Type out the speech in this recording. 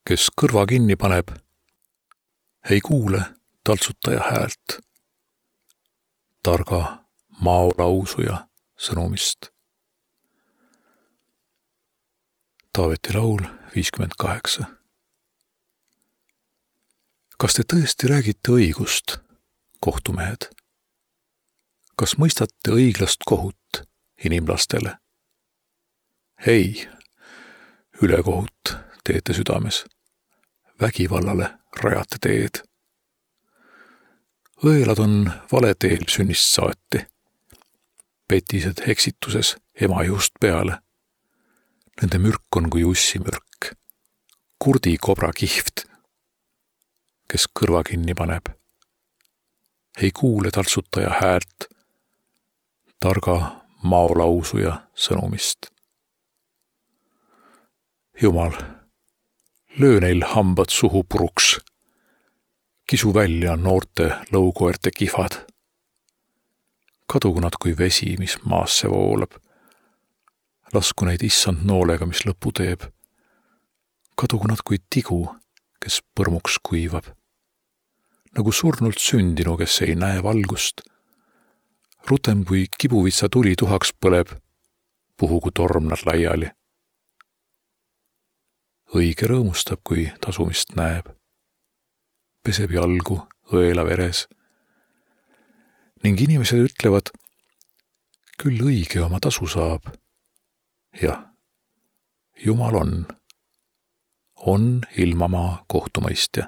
kes kõrva kinni paneb, ei kuule taltsutaja häält, targa maolausuja sõnumist. Taaveti laul 58. Kas te tõesti räägite õigust, kohtumehed? Kas mõistate õiglast kohut inimlastele? Ei, ülekohut teete südames, vägivallale rajate teed. Õelad on valeteel sünnist saati, petised eksituses ema just peale. Nende mürk on kui ussimürk, kurdi kobra kihvt, kes kõrva kinni paneb. Ei kuule taltsutaja häält, targa maolausuja sõnumist. Jumal, löö neil hambad suhu puruks, kisu välja noorte lõukoerte kihvad. Kadugu nad kui vesi, mis maasse voolab. Lasku neid issand noolega, mis lõpu teeb. Kadugu nad kui tigu, kes põrmuks kuivab. Nagu surnult sündinu, kes ei näe valgust. Rutem kui kibuvitsa tuli tuhaks põleb, puhugu torm nad laiali. Õige rõõmustab, kui tasumist näeb. Peseb jalgu õela veres. Ning inimesed ütlevad, küll õige oma tasu saab. Jah, Jumal on ilmamaa kohtumõistja.